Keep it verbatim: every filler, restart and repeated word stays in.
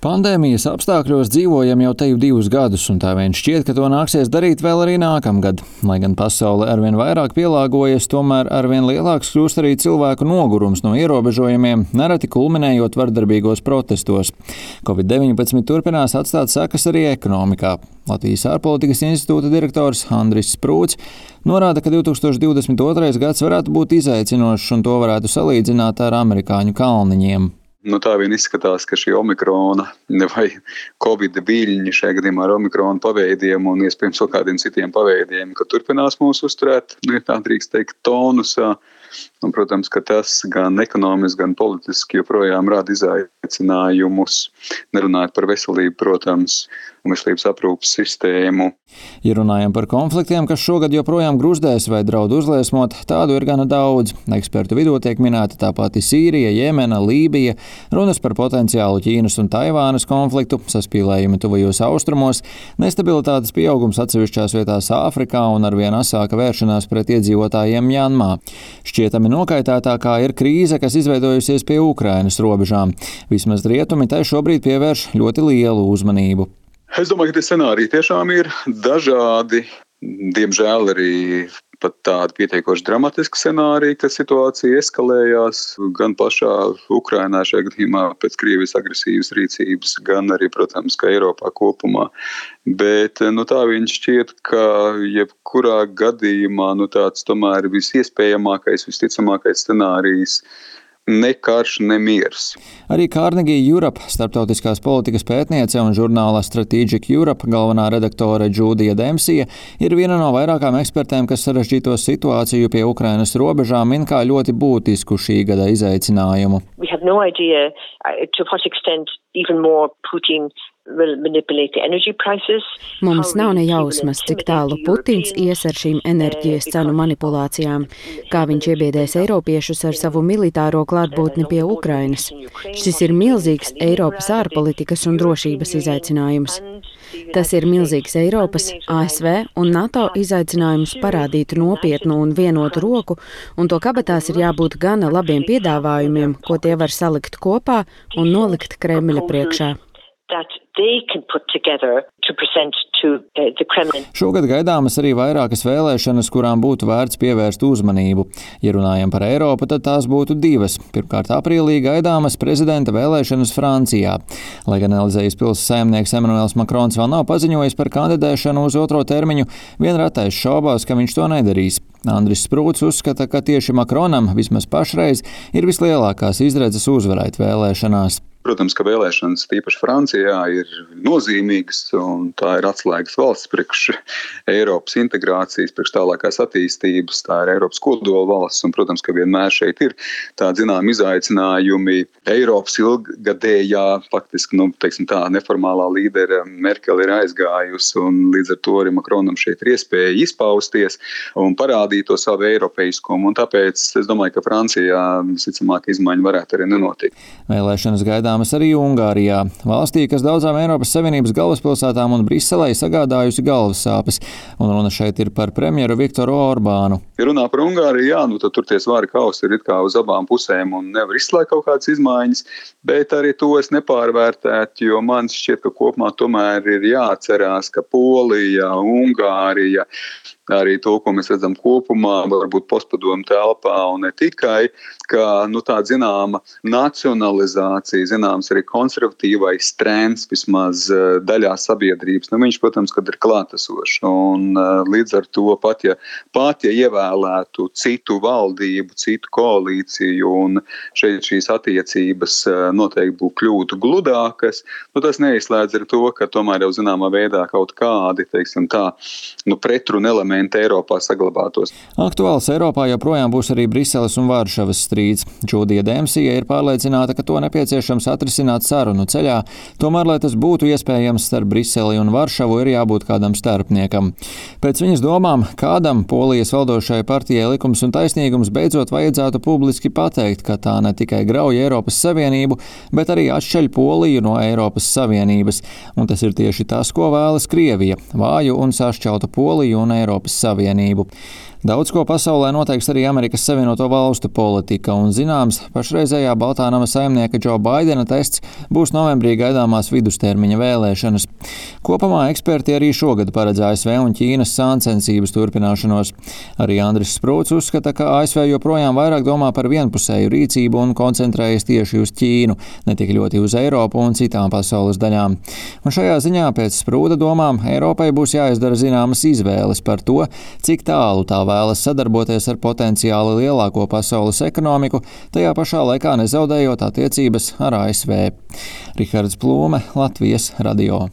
Pandēmijas apstākļos dzīvojam jau teju divus gadus, un tā vien šķiet, ka to nāksies darīt vēl arī nākamgad. Lai gan pasaule arvien vairāk pielāgojas, tomēr arvien lielāks kļūst arī cilvēku nogurums no ierobežojumiem, nereti kulminējot vardarbīgos protestos. covid deviņpadsmit turpinās atstāt sekas arī ekonomikā. Latvijas ārpolitikas institūta direktors Andris Sprūts norāda, ka divtūkstoš divdesmit otrais gads varētu būt izaicinošs, un to varētu salīdzināt ar amerikāņu kalniņiem. Nu, tā vien izskatās, ka šī omikrona vai covid viļņi, šajā gadījumā ar omikrona paveidiem un iespējams vēl kādiem citiem paveidiem, ka turpinās mūs uzturēt, nu, ja tā drīkst teikt, tonusā. Un, protams, ka tas gan ekonomiski, gan politiski joprojām rada izaicinājumus, nerunājot par veselību, protams, un veselības aprūpes sistēmu. Ja runājam par konfliktiem, kas šogad joprojām gruzdēs vai draud uzliesmot, tādu ir gana daudz. Ekspertu vidū tiek minēta tā pati Sīrija, Jemena, Lībija, runas par potenciālu Ķīnas un Taivānas konfliktu, saspīlējumi tuvajos austrumos, nestabilitātes pieaugums atsevišķās vietās Āfrikā un arvien asāka vēršanās pret iedzīvotājiem Mjanmā. Šķietami nokaitētākā ir krīze, kas izveidojusies pie Ukrainas robežām. Vismaz rietumi tai šobrīd pievērš ļoti lielu uzmanību. Es domāju, ka tie scenāriji tiešām ir dažādi. Diemžēl arī pat tādi pietiekoši dramatiski scenāriji, ka situācija eskalējās gan pašā Ukrainā šajā gadījumā pēc Krievijas agresīvas rīcības, gan arī, protams, ka Eiropā kopumā. Bet nu, tā viņš šķiet, ka jebkurā gadījumā nu, tāds tomēr visiespējamākais, visticamākais scenārijs ne karš, ne miers. Arī Carnegie Europe, starptautiskās politikas pētniece un žurnāla Strategic Europe galvenā redaktore Džūdija Dempsija ir viena no vairākām ekspertēm, kas sarežģīto situāciju pie Ukrainas robežām min kā ļoti būtisku šī gada izaicinājumu. We have no idea to what extent even more Putin Mums nav ne jausmas, cik tālu Putins ies ar šīm enerģijas cenu manipulācijām, kā viņš iebiedēs eiropiešus ar savu militāro klātbūtni pie Ukrainas. Šis ir milzīgs Eiropas ārpolitikas un drošības izaicinājums. Tas ir milzīgs Eiropas, A S V un NATO izaicinājums parādīt nopietnu un vienotu roku, un to kabatās ir jābūt gana labiem piedāvājumiem, ko tie var salikt kopā un nolikt Kremļa priekšā. Šogad gaidāmas arī vairākas vēlēšanas, kurām būtu vērts pievērst uzmanību. Ja runājam par Eiropu, tad tās būtu divas. Pirmkārt, aprīlī gaidāmas prezidenta vēlēšanas Francijā. Lai gan Elizējas pils saimnieks Emmanuels Macrons vēl nav paziņojis par kandidēšanu uz otro termiņu, vien retais šaubās, ka viņš to nedarīs. Andris Sprūts uzskata, ka tieši Macronam vismaz pašreiz ir vislielākās izredzes uzvarēt vēlēšanās. Protams, ka vēlēšanas, tīpaši Francijā, ir nozīmīgas, un tā ir atslēgas valsts priekš Eiropas integrācijas, priekš tālākās attīstības, tā ir Eiropas kodola valsts, un, protams, ka vienmēr šeit ir tādi, zinām, izaicinājumi. Eiropas ilgadējā, faktiski, nu, teiksim tā, neformālā līdera Merkel ir aizgājusi, un līdz ar to arī Macronam šeit ir iespēja izpausties un parādīt to savu eiropeiskumu, un tāpēc es domāju, ka Francijā, visticamāk, izmaiņa varētu arī nenotikt. Vēlēšanas gaidāmas arī Ungārijā, valstī, kas daudzām Eiropas Savienības galvaspilsētām un Briselei sagādājusi galvas sāpes, un runa šeit ir par premjeru Viktoru Orbānu. Ja runā par Ungāriju, jā, nu tad tur tie svari kausi ir it kā uz abām pusēm un nevar izslēgt kaut kādas izmaiņas, bet arī to es nepārvērtētu, jo man šķiet, ka kopumā tomēr ir jāatcerās, ka Polija, Ungārija, arī to, ko mēs redzam kopumā, varbūt postpadomu telpā un ne tikai, ka nu, tā zināma nacionalizācija, zināms arī konservatīvais trends vismaz daļā sabiedrības, nu viņš, protams, kad ir klātesošs. Un līdz ar to pat, ja, pat, ja ievēlētu citu valdību, citu koalīciju un šeit šīs attiecības noteikti būtu kļūtu gludākas, nu tas neizslēdz ar to, ka tomēr jau zināmā veidā kaut kādi, teiksim tā, nu pretruna elementi Eiropā saglabātos. Aktuāls Eiropā joprojām būs arī Briseles un Varšavas strīds. Džūdija Dempsija ir pārliecināta, ka to nepieciešams atrisināt sarunu ceļā, tomēr, lai tas būtu iespējams starp Briseli un Varšavu, ir jābūt kādam starpniekam. Pēc viņas domām, kādam Polijas valdošajai partijai Likums un taisnīgums beidzot vajadzētu publiski pateikt, ka tā ne tikai grauj Eiropas Savienību, bet arī atšķeļ Poliju no Eiropas Savienības. Un tas ir tieši tas, ko vēlas Krievija – vāju un sašķeltu Poliju un Eiropas Eiropas Savienību. Daudz ko pasaulē noteiks arī Amerikas Savienoto Valstu politika, un zināms, pašreizējā Baltā nama saimnieka Džo Baidena tests būs novembrī gaidāmās vidustermiņa vēlēšanas. Kopumā eksperti arī šogad paredz A S V un Ķīnas sāncensības turpināšanos. Arī Andris Sprūts uzskata, ka A S V joprojām vairāk domā par vienpusēju rīcību un koncentrējas tieši uz Ķīnu, ne tik ļoti uz Eiropu un citām pasaules daļām. Un šajā ziņā pēc Sprūta domām Eiropai būs jāizdara zināmas izvēles par to, cik tālu tā vēlas sadarboties ar potenciāli lielāko pasaules ekonomiku, tajā pašā laikā nezaudējot attiecības ar A S V. Rihards Plūme, Latvijas radio.